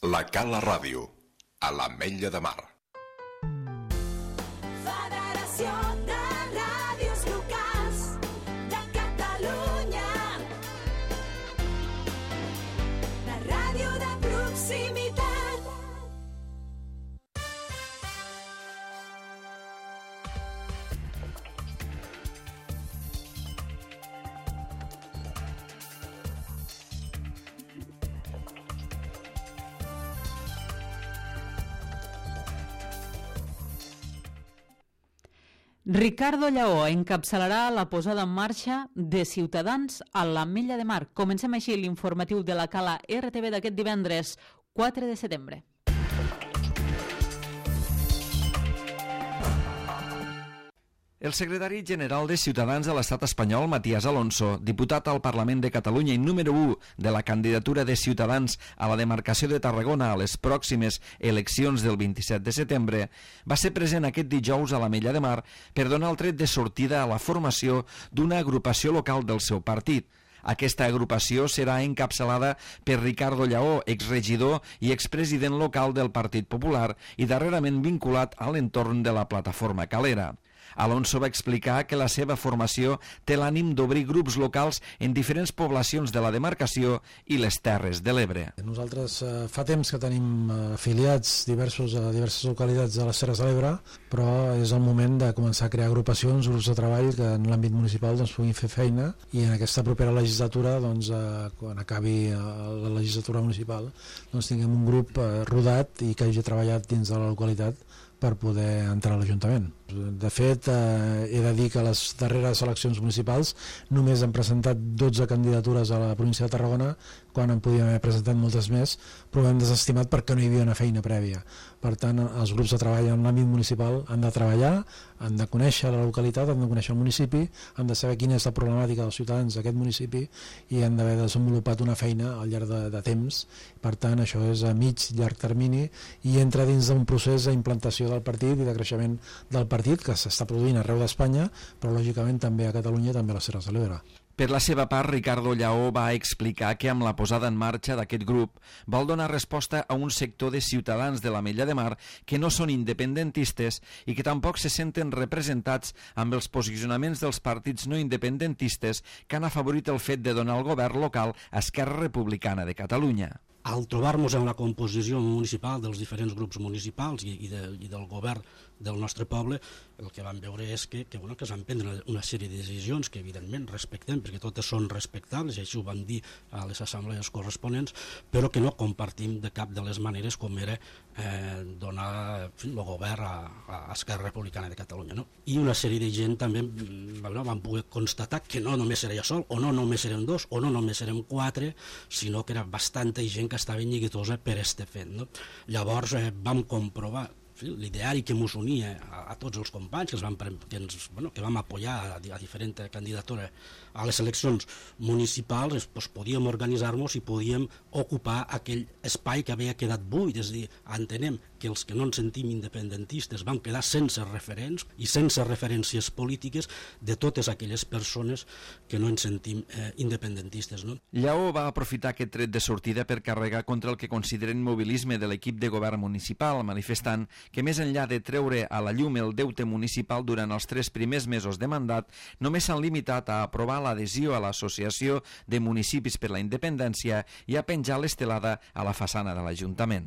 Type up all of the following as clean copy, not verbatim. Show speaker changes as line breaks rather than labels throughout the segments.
La Cala Ràdio, a l'Ametlla de Mar.
Federació de Ràdios Locals de Catalunya. La ràdio de proximitat.
Ricardo Lleó encapçalarà la posada en marxa de Ciutadans a l'Ametlla de Mar. Comencem així l'informatiu de la Cala RTV d'aquest divendres 4 de setembre.
El secretari general de Ciutadans a l'estat espanyol, Matías Alonso, diputat al Parlament de Catalunya i número 1 de la candidatura de Ciutadans a la demarcació de Tarragona a les pròximes eleccions del 27 de setembre, va ser present aquest dijous a l'Ametlla de Mar per donar el tret de sortida a la formació d'una agrupació local del seu partit. Aquesta agrupació serà encapçalada per Ricardo Lleó, exregidor i expresident local del Partit Popular i darrerament vinculat a l'entorn de la plataforma Calera. Alonso va explicar que la seva formació té l'ànim d'obrir grups locals en diferents poblacions de la demarcació i les Terres de l'Ebre.
Nosaltres fa temps que tenim afiliats a diverses localitats de les Terres de l'Ebre, però és el moment de començar a crear agrupacions, grups de treball que en l'àmbit municipal puguin fer feina, i en aquesta propera legislatura, quan acabi la legislatura municipal, tinguem un grup rodat i que hagi treballat dins de la localitat per poder entrar a l'Ajuntament. De fet, he de dir que a les darreres eleccions municipals només han presentat 12 candidatures a la província de Tarragona, quan en podíem haver presentat moltes més, però ho hem desestimat perquè no hi havia una feina prèvia. Per tant, els grups de treball en l'àmbit municipal han de treballar, han de conèixer la localitat, han de conèixer el municipi, han de saber quina és la problemàtica dels ciutadans d'aquest municipi i han d'haver desenvolupat una feina al llarg de temps. Per tant, això és a mig, llarg termini i entra dins d'un procés d'implantació del partit i de creixement del partit que s'està produint arreu d'Espanya, però lògicament també a Catalunya i també a les Terres de l'Ebre.
Per la seva part, Ricardo Lleó va explicar que amb la posada en marxa d'aquest grup vol donar resposta a un sector de ciutadans de l'Ametlla de Mar que no són independentistes i que tampoc se senten representats amb els posicionaments dels partits no independentistes que han afavorit el fet de donar al govern local a Esquerra Republicana de Catalunya.
Al trobar-nos en la composició municipal dels diferents grups municipals i del govern del nostre poble, el que vam veure és que es van prendre una sèrie de decisions que evidentment respectem, perquè totes són respectables, i així ho vam dir a les assemblees corresponents, però que no compartim de cap de les maneres com era donar el govern a Esquerra Republicana de Catalunya. No? I una sèrie de gent també van poder constatar que no només era jo sol, o no només érem dos, o no només érem quatre, sinó que era bastanta gent que estava neguitosa per este fet. No? Llavors vam comprovar l'ideari que ens unia a tots els companys que vam apoyar a diferent candidatura a les eleccions municipals, podíem organitzar-nos i podíem ocupar aquell espai que havia quedat buit. És a dir, entenem que els que no ens sentim independentistes vam quedar sense referents i sense referències polítiques de totes aquelles persones que no ens sentim independentistes. No?
Lleó va aprofitar aquest tret de sortida per carregar contra el que consideren mobilisme de l'equip de govern municipal, manifestant que més enllà de treure a la llum el deute municipal durant els 3 primers mesos de mandat, només s'han limitat a aprovar l'adhesió a l'Associació de Municipis per la Independència i a penjar l'estelada a la façana de l'Ajuntament.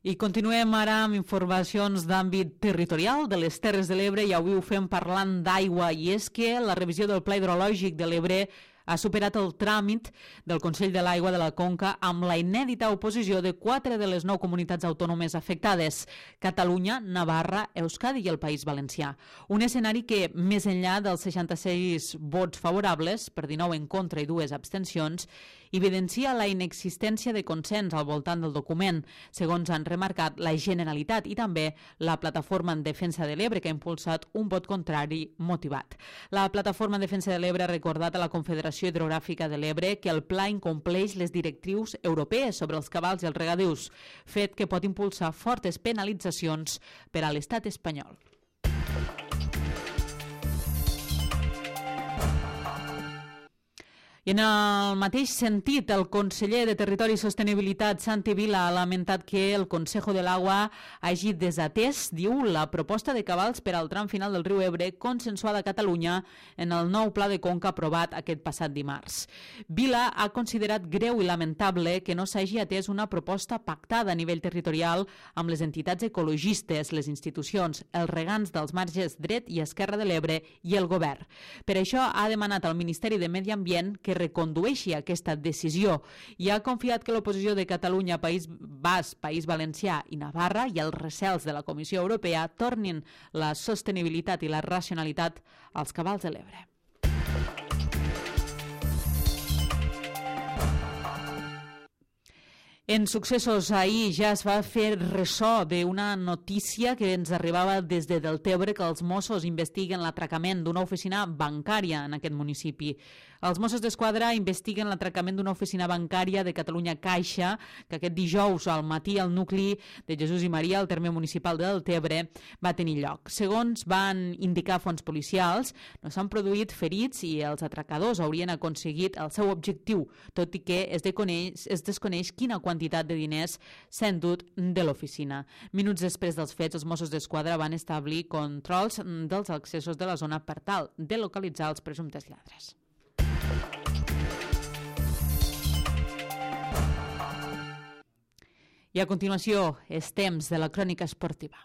I continuem ara amb informacions d'àmbit territorial de les Terres de l'Ebre i avui ho fem parlant d'aigua, i és que la revisió del Pla Hidrològic de l'Ebre ha superat el tràmit del Consell de l'Aigua de la Conca amb la inèdita oposició de 4 de les 9 comunitats autònomes afectades: Catalunya, Navarra, Euskadi i el País Valencià. Un escenari que, més enllà dels 66 vots favorables, per 19 en contra i 2 abstencions, evidencia la inexistència de consens al voltant del document, segons han remarcat la Generalitat i també la Plataforma en Defensa de l'Ebre, que ha impulsat un vot contrari motivat. La Plataforma en Defensa de l'Ebre ha recordat a la Confederació Hidrogràfica de l'Ebre que el pla incompleix les directrius europees sobre els cabals i els regadius, fet que pot impulsar fortes penalitzacions per a l'estat espanyol. I en el mateix sentit, el conseller de Territori i Sostenibilitat, Santi Vila, ha lamentat que el Consejo de l'Agua hagi desatès, diu, la proposta de cabals per al tram final del riu Ebre consensuada a Catalunya en el nou pla de conca aprovat aquest passat dimarts. Vila ha considerat greu i lamentable que no s'hagi atès una proposta pactada a nivell territorial amb les entitats ecologistes, les institucions, els regants dels marges dret i esquerra de l'Ebre i el govern. Per això ha demanat al Ministeri de Medi Ambient que recondueixi aquesta decisió i ha confiat que l'oposició de Catalunya, País Basc, País Valencià i Navarra i els recels de la Comissió Europea tornin la sostenibilitat i la racionalitat als cabals de l'Ebre. En successos, ahir ja es va fer ressò d'una notícia que ens arribava des de Deltebre, que els Mossos investiguen l'atracament d'una oficina bancària en aquest municipi. Els Mossos d'Esquadra investiguen l'atracament d'una oficina bancària de Catalunya Caixa, que aquest dijous al matí al nucli de Jesús i Maria, al terme municipal de Deltebre, va tenir lloc. Segons van indicar fonts policials, no s'han produït ferits i els atracadors haurien aconseguit el seu objectiu, tot i que es desconeix quina quantitat de diners s'ha endut de l'oficina. Minuts després dels fets, els Mossos d'Esquadra van establir controls dels accessos de la zona per tal de localitzar els presumptes lladres. I a continuació, és temps de la crònica esportiva.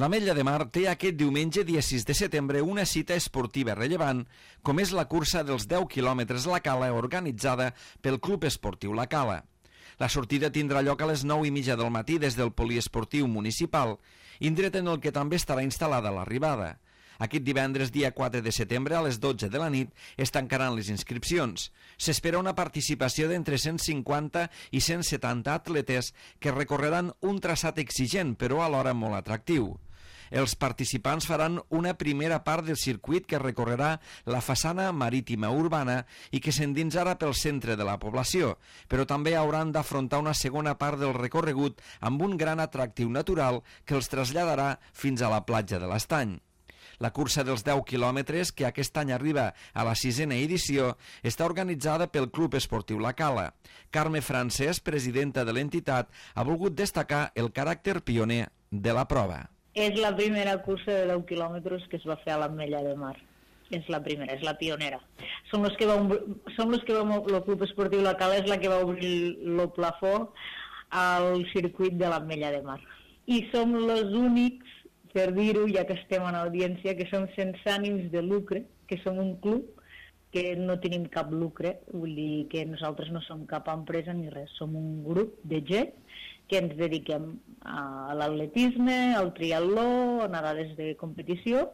L'Ametlla de Mar té aquest diumenge, dia 6 de setembre, una cita esportiva rellevant, com és la cursa dels 10 quilòmetres a la Cala, organitzada pel Club Esportiu La Cala. La sortida tindrà lloc a les 9:30 del matí des del poliesportiu municipal, indret en el que també estarà instal·lada l'arribada. Aquest divendres, dia 4 de setembre, a les 12 de la nit, es tancaran les inscripcions. S'espera una participació d'entre 150 i 170 atletes que recorreran un traçat exigent, però alhora molt atractiu. Els participants faran una primera part del circuit que recorrerà la façana marítima urbana i que s'endinsarà pel centre de la població, però també hauran d'afrontar una segona part del recorregut amb un gran atractiu natural que els traslladarà fins a la platja de l'Estany. La cursa dels 10 quilòmetres, que aquest any arriba a la 6a edició, està organitzada pel Club Esportiu La Cala. Carme Francesc, presidenta de l'entitat, ha volgut destacar el caràcter pioner de la prova.
És la primera cursa de 10 quilòmetres que es va fer a l'Ametlla de Mar. És la primera, és la pionera. El Club Esportiu La Cala és la que va obrir el plafó al circuit de l'Ametlla de Mar. I som els únics, per dir-ho, ja que estem en audiència, que som sense ànims de lucre, que som un club que no tenim cap lucre, vull dir que nosaltres no som cap empresa ni res, som un grup de gent que ens dediquem a l'atletisme, al triatló, a nedades de competició,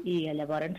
i llavors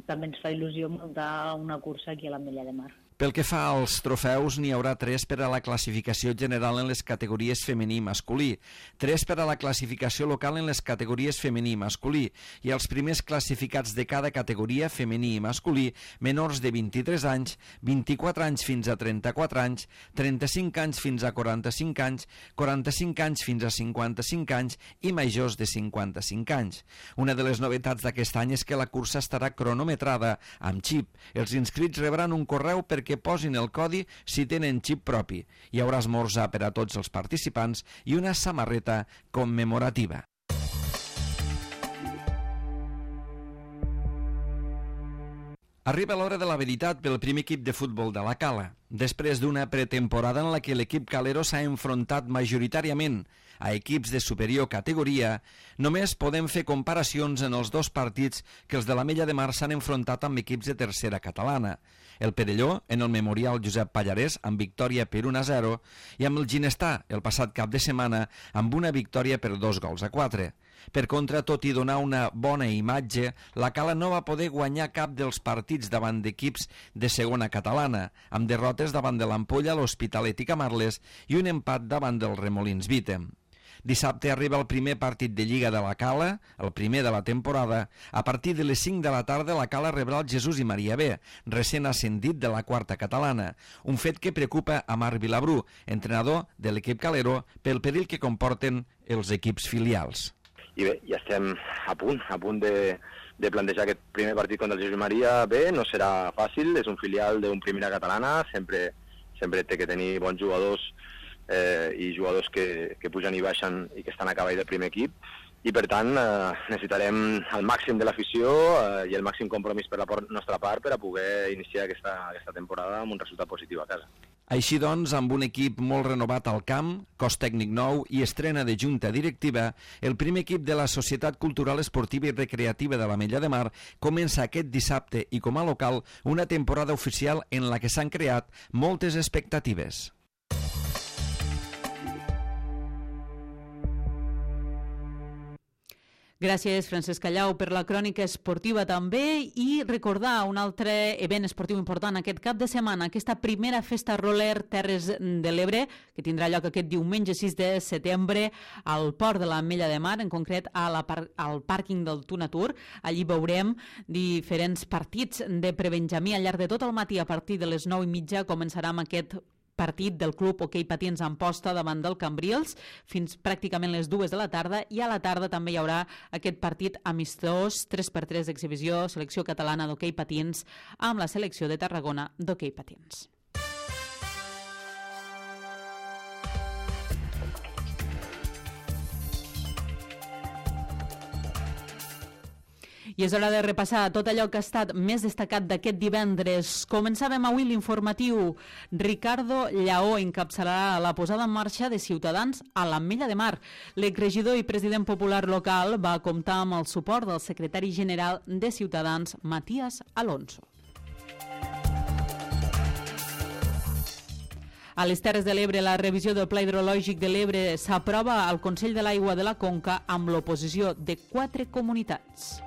també ens fa il·lusió muntar una cursa aquí a l'Ametlla de Mar.
Pel que fa als trofeus, n'hi haurà 3 per a la classificació general en les categories femení i masculí, 3 per a la classificació local en les categories femení i masculí, i els primers classificats de cada categoria femení i masculí, menors de 23 anys, 24 anys fins a 34 anys, 35 anys fins a 45 anys, 45 anys fins a 55 anys i majors de 55 anys. Una de les novetats d'aquest any és que la cursa estarà cronometrada amb xip. Els inscrits rebran un correu perquè posin el codi si tenen xip propi. Hi haurà esmorzar per a tots els participants i una samarreta commemorativa. Arriba l'hora de la veritat pel primer equip de futbol de la Cala. Després d'una pretemporada en la que l'equip calero s'ha enfrontat majoritàriament a equips de superior categoria, només podem fer comparacions en els 2 partits que els de l'Ametlla de Mar s'han enfrontat amb equips de tercera catalana. El Perelló, en el Memorial Josep Pallarès, amb victòria per 1-0, i amb el Ginestà, el passat cap de setmana, amb una victòria per 2-4. Per contra, tot i donar una bona imatge, la Cala no va poder guanyar cap dels partits davant d'equips de segona catalana, amb derrotes davant de l'Ampolla, l'Hospitalet i Camarles i un empat davant del Remolins Vítem. Dissabte arriba el primer partit de Lliga de la Cala, el primer de la temporada. A partir de les 5 de la tarda la Cala rebrà el Jesús i Maria B, recent ascendit de la quarta catalana, un fet que preocupa a Marc Vilabrú, entrenador de l'equip calero, pel perill que comporten els equips filials.
I bé, ja estem a punt de plantejar aquest primer partit contra el Jesús Maria. Bé, no serà fàcil, és un filial d'un primera catalana, sempre té que tenir bons jugadors i jugadors que pugen i baixen i que estan a cavall del primer equip, i per tant necessitarem el màxim de l'afició i el màxim compromís per la nostra part per a poder iniciar aquesta temporada amb un resultat positiu a casa.
Així doncs, amb un equip molt renovat al camp, cos tècnic nou i estrena de junta directiva, el primer equip de la Societat Cultural Esportiva i Recreativa de l'Ametlla de Mar comença aquest dissabte i com a local una temporada oficial en la que s'han creat moltes expectatives.
Gràcies, Francesc Callau, per la crònica esportiva també, i recordar un altre event esportiu important aquest cap de setmana, aquesta primera festa roller Terres de l'Ebre, que tindrà lloc aquest diumenge 6 de setembre al Port de l'Ametlla de Mar, en concret al pàrquing del Tunatur. Allí veurem diferents partits de prebenjamí al llarg de tot el matí. A partir de les 9:30 començarà amb aquest partit del club hoquei patins Amposta davant del Cambrils fins pràcticament les 2 de la tarda, i a la tarda també hi haurà aquest partit amistós 3x3 d'exhibició selecció catalana d'hoquei patins amb la selecció de Tarragona d'hoquei patins. I és hora de repassar tot allò que ha estat més destacat d'aquest divendres. Començàvem avui l'informatiu. Ricardo Lleó encapçalarà la posada en marxa de Ciutadans a l'Ametlla de Mar. L'exregidor i president popular local va comptar amb el suport del secretari general de Ciutadans, Matías Alonso. A les Terres de l'Ebre, la revisió del Pla Hidrològic de l'Ebre s'aprova al Consell de l'Aigua de la Conca amb l'oposició de 4 comunitats.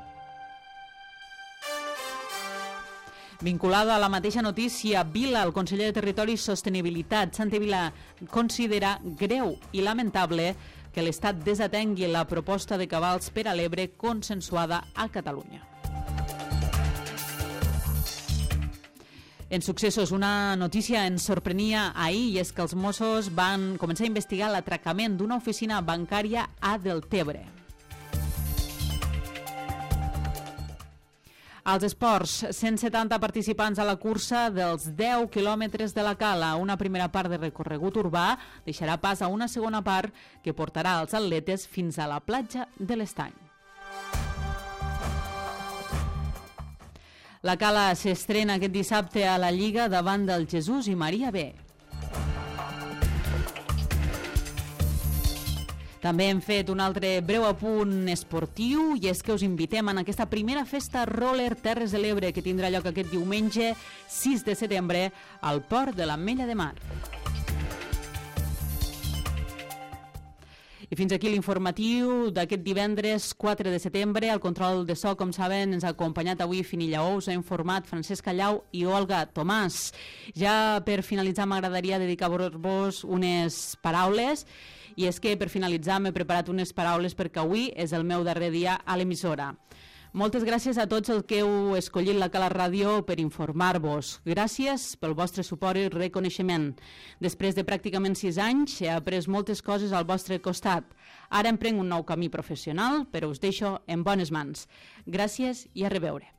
Vinculada a la mateixa notícia, Vila, el conseller de Territori i Sostenibilitat, Santi Vila, considera greu i lamentable que l'Estat desatengui la proposta de cabals per a l'Ebre consensuada a Catalunya. En successos, una notícia ens sorprenia ahir, i és que els Mossos van començar a investigar l'atracament d'una oficina bancària a Deltebre. Als esports, 170 participants a la cursa dels 10 quilòmetres de la Cala. Una primera part de recorregut urbà deixarà pas a una segona part que portarà els atletes fins a la platja de l'Estany. La Cala s'estrena aquest dissabte a la Lliga davant del Jesús i Maria B. També hem fet un altre breu apunt esportiu, i és que us invitem en aquesta primera festa roller Terres de l'Ebre que tindrà lloc aquest diumenge 6 de setembre al Port de l'Ametlla de Mar. I fins aquí l'informatiu d'aquest divendres 4 de setembre. El control de so, com saben, ens ha acompanyat avui Fini Lleó, us ha informat Francesc Callau i Olga Tomàs. Ja per finalitzar m'agradaria dedicar-vos unes paraules, i és que per finalitzar m'he preparat unes paraules perquè avui és el meu darrer dia a l'emissora. Moltes gràcies a tots els que heu escollit la Cala Ràdio per informar-vos. Gràcies pel vostre suport i reconeixement. Després de pràcticament 6 anys he après moltes coses al vostre costat. Ara emprenc un nou camí professional, però us deixo en bones mans. Gràcies i a reveure.